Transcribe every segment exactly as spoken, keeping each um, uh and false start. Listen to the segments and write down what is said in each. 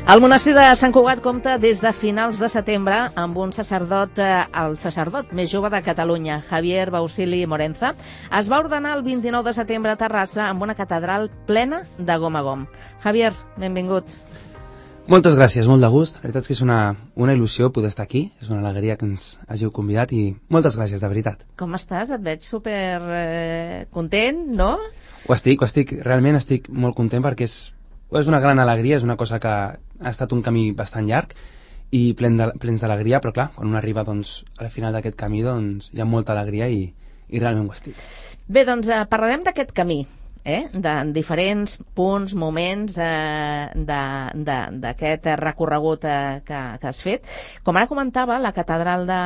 El monestir de Sant Cugat compta des de finals de setembre amb un sacerdot, el sacerdot més jove de Catalunya, Javier Bausili Morenza. Es va ordenar el vint-i-nou de setembre a Terrassa amb una catedral plena de gom a gom. Javier, benvingut. Moltes gràcies, molt de gust. La veritat és que és una, una il·lusió poder estar aquí. És una alegria que ens hàgiu convidat i moltes gràcies, de veritat. Com estàs? Et veig super eh, content, no? Ho estic, ho estic. Realment estic molt content perquè és, és una gran alegria, és una cosa que ha estat un camí bastant llarg i plen de, plens d'alegria, però clar, quan un arriba doncs, al final d'aquest camí doncs, hi ha molta alegria i, i realment ho estic. Bé, doncs eh, parlarem d'aquest camí. Eh? De diferents punts, moments eh, d'aquest recorregut eh, que, que has fet. Com ara comentava, la catedral de,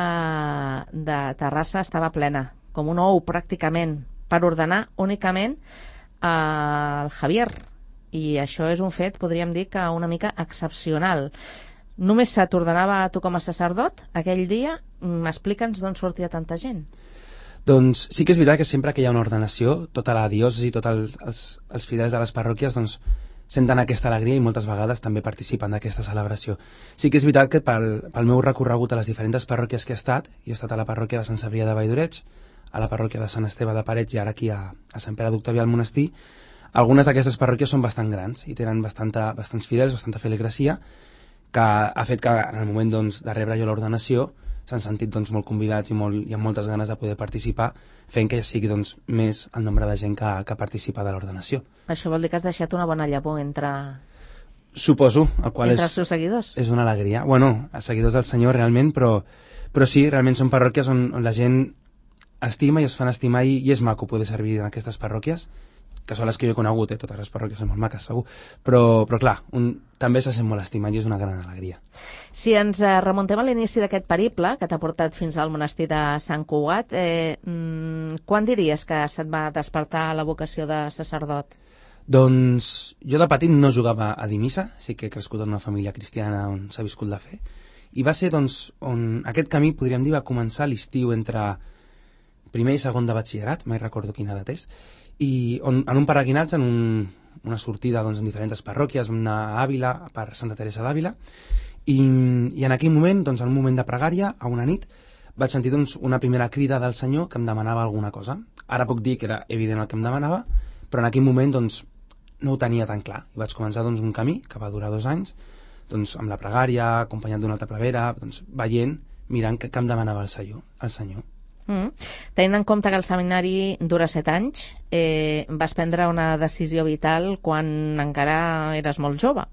de Terrassa estava plena, com un ou pràcticament, per ordenar únicament al eh, Javier. I això és un fet, podríem dir, que una mica excepcional. Només se t'ordenava a tu com a sacerdot aquell dia? M'explica'ns d'on sortia tanta gent. Doncs sí que és veritat que sempre que hi ha una ordenació, tota la diòcesi, tots el, els, els fidels de les parròquies doncs, senten aquesta alegria i moltes vegades també participen d'aquesta celebració. Sí que és veritat que pel, pel meu recorregut a les diferents parròquies que he estat, i he estat a la parròquia de Sant Cebrià de Valldoreig, a la parròquia de Sant Esteve de Parets i ara aquí a, a Sant Pere d'Octavià al monestir, algunes d'aquestes parròquies són bastant grans i tenen bastanta, bastants fidels, bastanta feligresia, que ha fet que en el moment doncs, de rebre jo l'ordenació s'han sentit doncs, molt convidats i, molt, i amb moltes ganes de poder participar, fent que ja sigui doncs, més el nombre de gent que, que participa de l'ordenació. Això vol dir que has deixat una bona llavor entre... Suposo, el qual entre és, els teus seguidors. És una alegria. Bueno, els seguidors del Senyor realment, però, però sí, realment són parròquies on, on la gent estima i es fan estimar i, i és maco poder servir en aquestes parròquies, que són les que jo he conegut, eh? Totes les parròquies són molt maques, segur, però, però clar, un, també se sent molt estimat i és una gran alegria. Si ens eh, remuntem a l'inici d'aquest periple, que t'ha portat fins al monestir de Sant Cugat, eh, mm, quan diries que se't va despertar la vocació de sacerdot? Doncs jo de petit no jugava a dir missa, sí que he crescut en una família cristiana on s'ha viscut la fe, i va ser doncs on aquest camí, podríem dir, va començar l'estiu entre primer i segon de batxillerat, mai recordo quina edat és, i on, en un peregrinatge, en un, una sortida doncs, en diferents parròquies, vam anar a Àvila, per Santa Teresa d'Àvila, i, i en aquell moment, doncs, en un moment de pregària, a una nit, vaig sentir doncs, una primera crida del Senyor que em demanava alguna cosa. Ara puc dir que era evident el que em demanava, però en aquell moment doncs, no ho tenia tan clar. I vaig començar doncs, un camí que va durar dos anys, doncs, amb la pregària, acompanyat d'una altra prevera, doncs, veient, mirant que, que em demanava el Senyor. El Senyor. Mm. Tenint en compte que el seminari dura set anys, eh, vas prendre una decisió vital quan encara eres molt jove.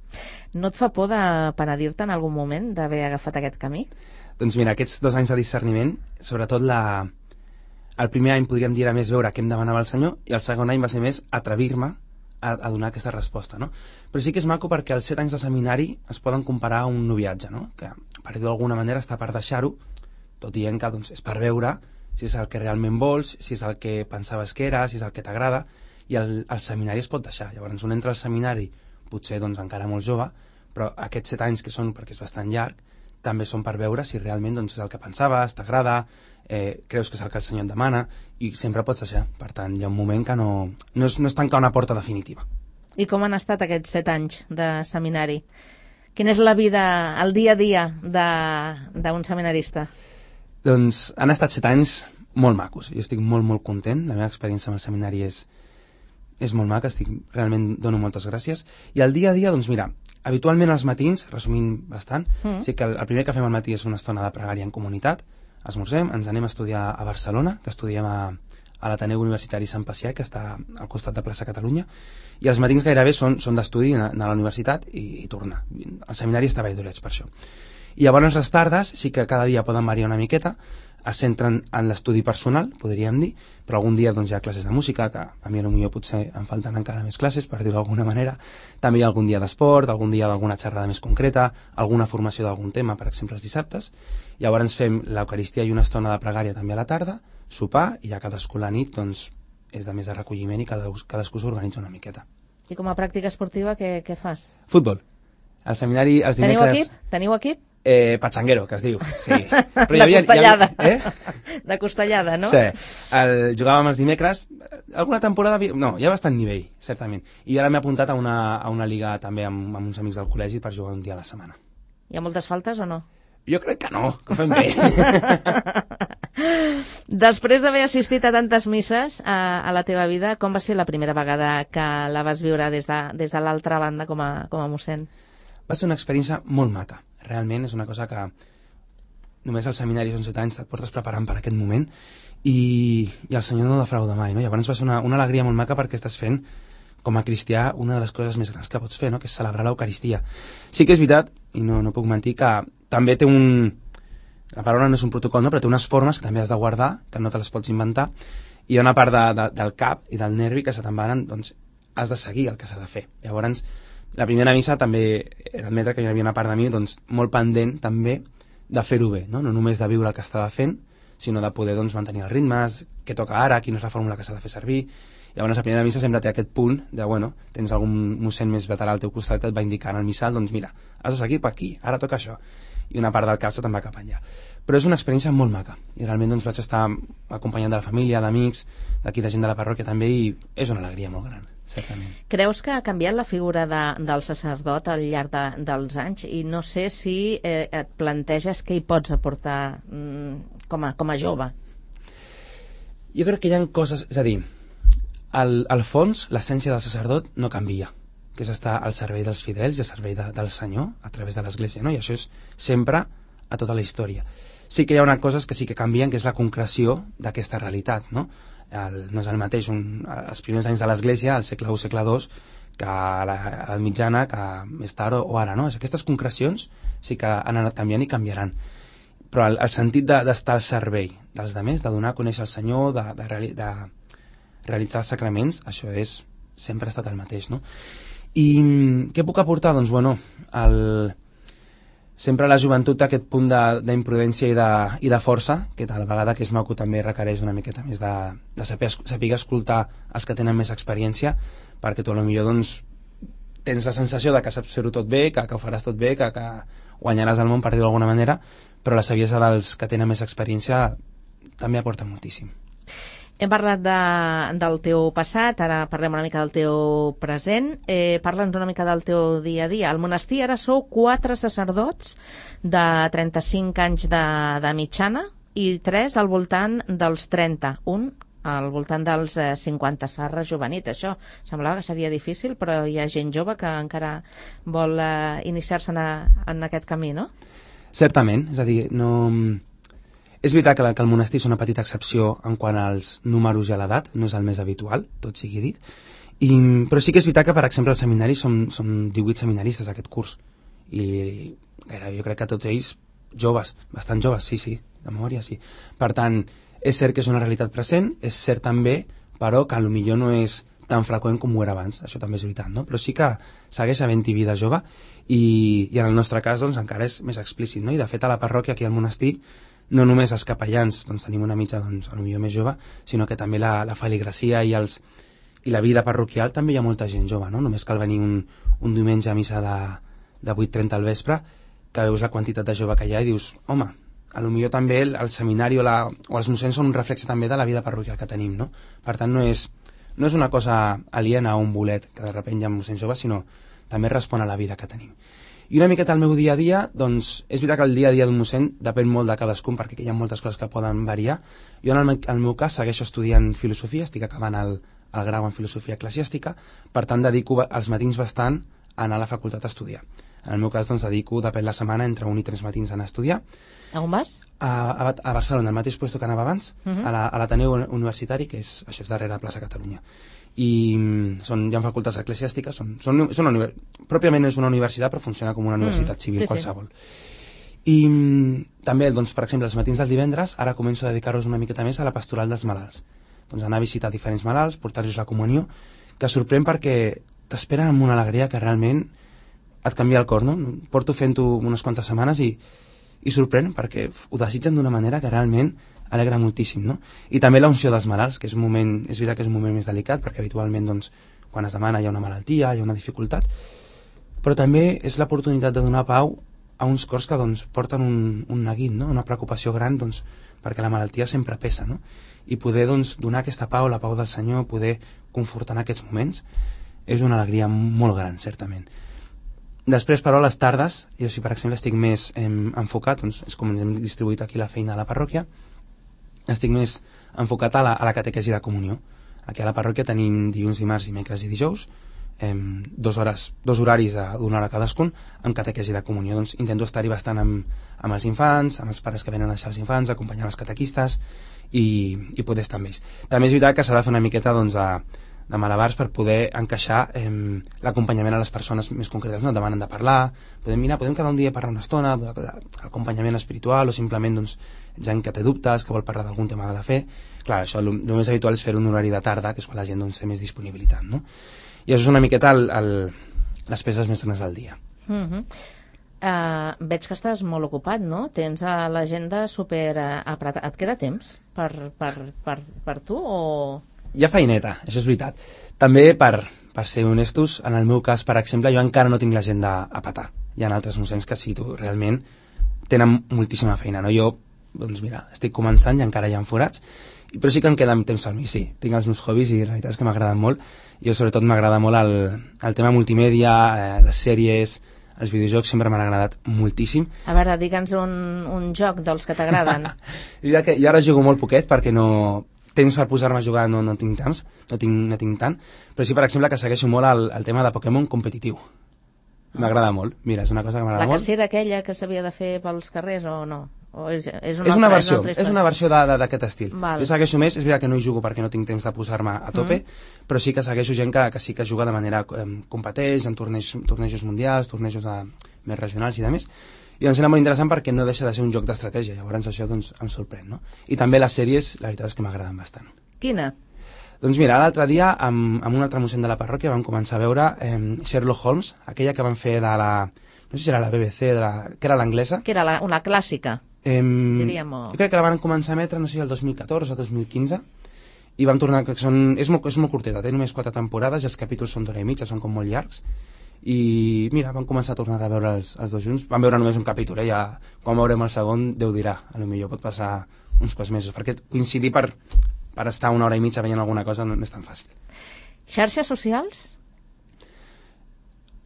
No et fa por de penedir-te en algun moment d'haver agafat aquest camí? Doncs mira, aquests dos anys de discerniment, sobretot la... el primer any podríem dir era més veure què em demanava el Senyor i el segon any va ser més atrevir-me a, a donar aquesta resposta, no? Però sí que és maco perquè els set anys de seminari es poden comparar a un noviatge, no? Que per dir d'alguna manera està per deixar-ho, tot dient que doncs, és per veure si és el que realment vols, si és el que pensaves que era, si és el que t'agrada, i el, el seminari es pot deixar. Llavors un entra al seminari, potser doncs, encara molt jove, però aquests set anys que són, perquè és bastant llarg, també són per veure si realment doncs, és el que pensaves, t'agrada, eh, creus que és el que el Senyor et demana, i sempre pots deixar. Per tant, hi ha un moment que no, no, és, no és tancar una porta definitiva. I com han estat aquests set anys de seminari? Quina és la vida, el dia a dia d'un seminarista? Doncs han estat set anys molt macos. Jo estic molt, molt content. La meva experiència amb el seminari és, és molt maca. Estic, realment dono moltes gràcies. I el dia a dia, doncs mira, habitualment als matins, resumint bastant, mm. sí que el, el primer que fem al matí és una estona de pregària en comunitat, esmorzem, ens anem a estudiar a Barcelona, que estudiem a, a l'Ateneu Universitari Sant Pacià, que està al costat de Plaça Catalunya, i els matins gairebé són, són d'estudi, anar a la universitat i, i tornar. El seminari està a Valldoreig, per això. I llavors les tardes sí que cada dia poden variar una miqueta, es centren en l'estudi personal, podríem dir, però algun dia doncs, hi ha classes de música, que a mi potser potser em falten encara més classes, per dir-ho d'alguna manera. També hi ha algun dia d'esport, algun dia d'alguna xerrada més concreta, alguna formació d'algun tema, per exemple els dissabtes. Llavors fem l'Eucaristia i una estona de pregària també a la tarda, sopar, i ja cadascú la nit doncs, és de més de recolliment i cadascú, cadascú s'organitza una miqueta. I com a pràctica esportiva què, què fas? Futbol. Al seminari els dimecres... Teniu equip? Teniu equip? Eh, Patxanguero, que es diu, sí. Però de havia, costellada. Ja, eh? De costellada, no? Sí. El, jugàvem els dimecres, alguna temporada... No, hi ha bastant nivell, certament. I ara m'he apuntat a una, a una liga també amb, amb uns amics del col·legi per jugar un dia a la setmana. Hi ha moltes faltes o no? Jo crec que no, que ho fem bé. Després d'haver assistit a tantes misses a, a la teva vida, com va ser la primera vegada que la vas viure des de, des de l'altra banda com a, com a mossèn? Va ser una experiència molt maca. Realment és una cosa que només als seminaris onze anys et portes preparant per aquest moment i, i el Senyor no defrauda mai, no? Llavors va ser una, una alegria molt maca perquè estàs fent com a cristià una de les coses més grans que pots fer, no? Que és celebrar l'Eucaristia. Sí que és veritat, i no, no puc mentir, que també té un... La paraula no és un protocol, no? Però té unes formes que també has de guardar, que no te les pots inventar, i hi ha una part de, de, del cap i del nervi que se te'n van, doncs has de seguir el que s'ha de fer. Llavors, la primera missa també he d'admetre que hi havia una part de mi doncs, molt pendent també de fer-ho bé, no? No només de viure el que estava fent, sinó de poder doncs, mantenir els ritmes, què toca ara, quina és la fórmula que s'ha de fer servir. Llavors la primera missa sempre té aquest punt de, bueno, tens algun mossèn més veterà al teu costat que et va indicant al missal, doncs mira, has de seguir per aquí, ara toca això. I una part del cap se te'n va cap allà. Però és una experiència molt maca, i realment doncs, vaig estar acompanyant de la família, d'amics, d'aquí de gent de la parròquia també, i és una alegria molt gran. Certament. Creus que ha canviat la figura de, del sacerdot al llarg de, dels anys i no sé si eh, et planteges què hi pots aportar mm, com, a, com a jove? Jo crec que hi ha coses... És a dir, al, al fons, l'essència del sacerdot no canvia, que és estar al servei dels fidels i al servei de, del Senyor a través de l'Església, no? I això és sempre a tota la història. Sí que hi ha una coses que sí que canvien, que és la concreció d'aquesta realitat, no? El, no és el mateix un, els primers anys de l'Església, al segle u, segle dos, que a l'edat mitjana, que més tard o, o ara, no? Aquestes concrecions sí que han anat canviant i canviaran. Però el, el sentit de, d'estar al servei dels altres, de donar a conèixer el Senyor, de, de, reali, de realitzar els sacraments, això és, sempre ha estat el mateix, no? I què puc aportar? Doncs, bueno, el... sempre la joventut té aquest punt d'imprudència i, de, i de força, que tal vegada que és maco també requereix una miqueta més de, de saber, saber escoltar els que tenen més experiència, perquè tu potser doncs, tens la sensació de que saps fer-ho tot bé, que, que ho faràs tot bé, que, que guanyaràs el món, per dir-ho d'alguna manera, però la saviesa dels que tenen més experiència també aporta moltíssim. Hem parlat de, del teu passat, ara parlem una mica del teu present. Eh, Parla'ns una mica del teu dia a dia. Al monestir ara sou quatre sacerdots de trenta-cinc anys de, de mitjana i tres al voltant dels trenta. Un al voltant dels eh, cinquanta. S'ha rejuvenit, això. Semblava que seria difícil, però hi ha gent jove que encara vol eh, iniciar-se en, a, en aquest camí, no? Certament, és a dir, no... És veritat que, la, que el monestir és una petita excepció en quant als números i a l'edat, no és el més habitual, tot sigui dit, I, però sí que és veritat que, per exemple, al seminari som, som divuit seminaristes aquest curs, i gairebé jo crec que tots ells joves, bastant joves, sí, sí, de memòria sí. Per tant, és cert que és una realitat present, és cert també, però que potser no és tan freqüent com ho era abans, això també és veritat, no? Però sí que segueix havent-hi vida jove, i, i en el nostre cas doncs, encara és més explícit, no? I de fet a la parròquia, aquí al monestir, no només els capellans doncs, tenim una mitja doncs, potser més jove, sinó que també la, la feligracia i, els, i la vida parroquial també hi ha molta gent jove, no? Només cal venir un, un diumenge a missa de, de vuit trenta al vespre, que veus la quantitat de jove que hi ha i dius, home, a lo millor també el, el seminari o, la, o els mossens són un reflexe també de la vida parroquial que tenim, no? Per tant, no és, no és una cosa aliena a un bolet que de sobte hi ha mossens joves, sinó també respon a la vida que tenim. I una miqueta al meu dia a dia, doncs és veritat que el dia a dia d'un mossèn depèn molt de cadascun, perquè hi ha moltes coses que poden variar. Jo en el, el meu cas segueixo estudiant filosofia, estic acabant el, el grau en filosofia eclesiàstica, per tant dedico els matins bastant a anar a la facultat a estudiar. En el meu cas doncs dedico, depèn la setmana, entre un i tres matins a anar a estudiar. A on vas? A, a, a Barcelona, al mateix lloc que anava abans, uh -huh. a l'Ateneu la, Universitari, que és, això és darrere de plaça Catalunya. I són, hi ha facultats eclesiàstiques, són, són, són una, pròpiament és una universitat, però funciona com una universitat mm, civil, sí, qualsevol. Sí. I també, doncs, per exemple, els matins dels divendres, ara començo a dedicar-los una miqueta més a la pastoral dels malalts. Doncs anar a visitar diferents malalts, portar-los la comunió, que sorprèn perquè t'esperen amb una alegria que realment et canvia el cor, no? Porto fent-ho unes quantes setmanes i, i sorprèn perquè ho desitgen d'una manera que realment alegra moltíssim, no? I també la unció dels malalts, que és un moment, és veritat que és un moment més delicat, perquè habitualment, doncs, quan es demana hi ha una malaltia, hi ha una dificultat, però també és l'oportunitat de donar pau a uns cors que doncs, porten un, un neguit, no? Una preocupació gran, doncs, perquè la malaltia sempre pesa, no? I poder doncs, donar aquesta pau, la pau del Senyor, poder confortar en aquests moments, és una alegria molt gran, certament. Després, però, a les tardes, jo si per exemple estic més eh, enfocat, doncs, és com ens hem distribuït aquí la feina a la parròquia, estic més enfocat a la, a la catequesi de comunió. Aquí a la parròquia tenim dilluns, dimarts, dimecres i dijous, eh, dos, hores, dos horaris d'una hora cadascun, amb catequesi de comunió. Doncs intento estar-hi bastant amb, amb els infants, amb els pares que venen a deixar els infants, acompanyar els catequistes i, i poder estar amb ells. També és veritat que s'ha de fer una miqueta doncs, de, de malabars per poder encaixar eh, l'acompanyament a les persones més concretes, no? Demanen de parlar, podem mirar, podem quedar un dia a parlar una estona, l'acompanyament espiritual o simplement doncs, gent que té dubtes, que vol parlar d'algun tema de la fe. Clar, això el, el més habitual és fer un horari de tarda, que és quan la gent doncs, té més disponibilitat, no? I això és una miqueta el, el, les peces més grans del dia. Mm -hmm. uh, veig que estàs molt ocupat, no? Tens uh, l'agenda super uh, apretada. Et queda temps per, per, per, per tu o...? Hi ha feineta, això és veritat. També, per, per ser honestos, en el meu cas, per exemple, jo encara no tinc l'agenda a petar. Hi ha altres mossens que sí, tu, realment tenen moltíssima feina, no? Jo, doncs mira, estic començant i encara hi ha forats, però sí que em queda temps per mi, sí. Tinc els meus hobbies i la veritat és que m'agraden molt. Jo sobretot m'agrada molt el, el tema multimèdia, eh, les sèries, els videojocs sempre m'han agradat moltíssim. A veure, digue'ns un, un joc dels que t'agraden. Jo ara jugo molt poquet perquè no... temps per posar-me a jugar no, no tinc tants, no tinc, no tinc tant, però sí, per exemple, que segueixo molt el, el tema de Pokémon competitiu. M'agrada molt, mira, és una cosa que m'agrada molt. La cacera aquella que s'havia de fer pels carrers o no? O és, és, una és, una altra, versió, és, és una versió d'aquest estil. Val. Jo segueixo més, és veritat que no hi jugo perquè no tinc temps de posar-me a tope, mm. però sí que segueixo gent que, que sí que juga de manera eh, competeix en tornejos, tornejos mundials, tornejos de, més regionals i demés. I em sembla molt interessant perquè no deixa de ser un joc d'estratègia, llavors això doncs, em sorprèn, no? I també les sèries, la veritat és que m'agraden bastant. Quina? Doncs mira, l'altre dia, amb, amb un altre mossèn de la parròquia, vam començar a veure eh, Sherlock Holmes, aquella que van fer de la... no sé si era la B B C, de la, que era l'anglesa. Que era la, una clàssica, eh, diríem. O... Jo crec que la van començar a emetre, no sé si el dos mil catorze o dos mil quinze, i vam tornar... Que són, és, molt, és molt curteta, té només quatre temporades i els capítols són d'hora i mitja, són com molt llargs. I mira, vam començar a tornar a veure els, els dos junts. Vam veure només un capítol, eh? Ja, quan veurem el segon, Déu dirà. A lo millor pot passar uns quants mesos, perquè coincidir per, per estar una hora i mitja veient alguna cosa no, no és tan fàcil. Xarxes socials?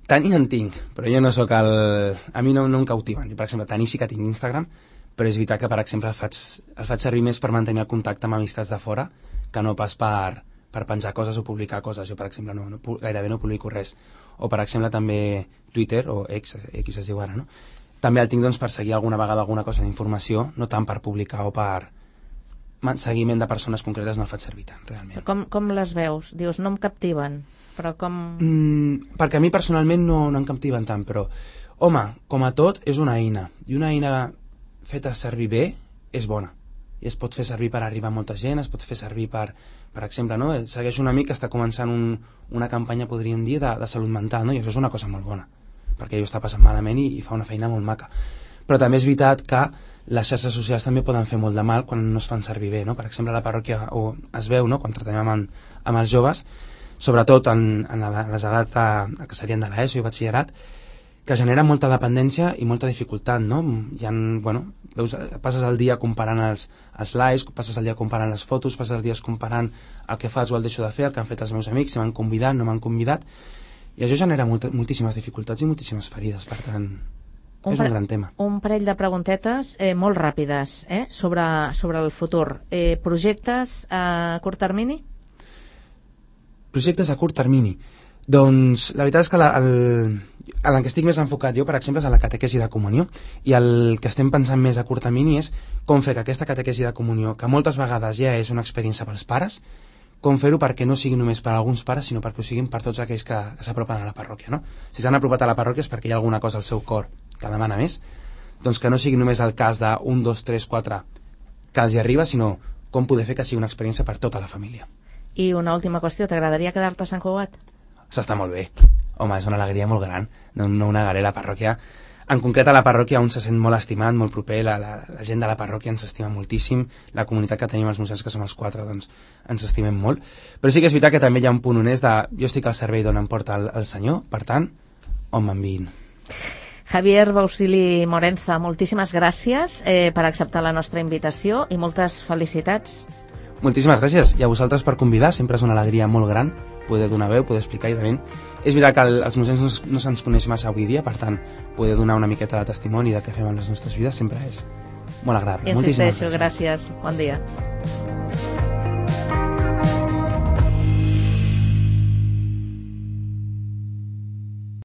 Tenir en tinc, però jo no sóc el... A mi no, no em cautiven. Per exemple, tenir sí que tinc Instagram, però és veritat que, per exemple, el faig, el faig servir més per mantenir el contacte amb amistats de fora que no pas per, per penjar coses o publicar coses. Jo, per exemple, no, no, gairebé no publico res. O, per exemple, també Twitter, o X, X es diu ara, no? També el tinc doncs, per seguir alguna vegada alguna cosa d'informació, no tant per publicar o per seguiment de persones concretes, no el faig servir tant, realment. Com, com les veus? Dius, no em captiven, però com... Mm, perquè a mi personalment no, no em captiven tant, però, home, com a tot, és una eina. I una eina feta servir bé és bona. I es pot fer servir per arribar a molta gent, es pot fer servir per, per exemple, no? Segueix un amic que està començant un, una campanya, podríem dir, de, de salut mental, no? I això és una cosa molt bona, perquè ell està passant malament i, i fa una feina molt maca. Però també és veritat que les xarxes socials també poden fer molt de mal quan no es fan servir bé, no? Per exemple, a la parròquia o es veu, no? Quan tractem amb, amb els joves, sobretot en, en les edats de, que serien de l'ESO i batxillerat, que genera molta dependència i molta dificultat, no? Hi ha, bueno, veus, passes el dia comparant els, els likes, passes el dia comparant les fotos, passes el dia comparant el que fas o el deixo de fer, el que han fet els meus amics, si m'han convidat, no m'han convidat, i això genera molt, moltíssimes dificultats i moltíssimes ferides, per tant, un és un gran tema. Un parell de preguntetes eh, molt ràpides eh, sobre, sobre el futur. Eh, projectes a curt termini? Projectes a curt termini. Doncs la veritat és que la, el, en el que estic més enfocat jo, per exemple, és a la catequesi de comunió, i el que estem pensant més a curt termini és com fer que aquesta catequesi de comunió, que moltes vegades ja és una experiència pels pares, com fer-ho perquè no sigui només per a alguns pares, sinó perquè ho siguin per tots aquells que, que s'apropen a la parròquia, no? Si s'han apropat a la parròquia és perquè hi ha alguna cosa al seu cor que demana més, doncs que no sigui només el cas d'un, dos, tres, quatre que els hi arriba, sinó com poder fer que sigui una experiència per tota la família. I una última qüestió, t'agradaria quedar-te a Sant Cugat? S'està molt bé. Home, és una alegria molt gran. No, no ho negaré, la parròquia... En concret, a la parròquia un se sent molt estimat, molt proper, la, la, la gent de la parròquia ens estima moltíssim, la comunitat que tenim els mossens, que som els quatre, doncs ens estimem molt. Però sí que és veritat que també hi ha un punt honest de jo estic al servei d'on em porta el, el Senyor, per tant, on m'enviïn. Javier Bausili Morenza, moltíssimes gràcies eh, per acceptar la nostra invitació i moltes felicitats. Moltíssimes gràcies, i a vosaltres per convidar, sempre és una alegria molt gran poder donar veu, poder explicar, i també és veritat que els museus no, no se'ns coneix massa avui dia, per tant, poder donar una miqueta de testimoni del que fem en les nostres vides sempre és molt agradable. Insisteixo, gràcies. Bon dia.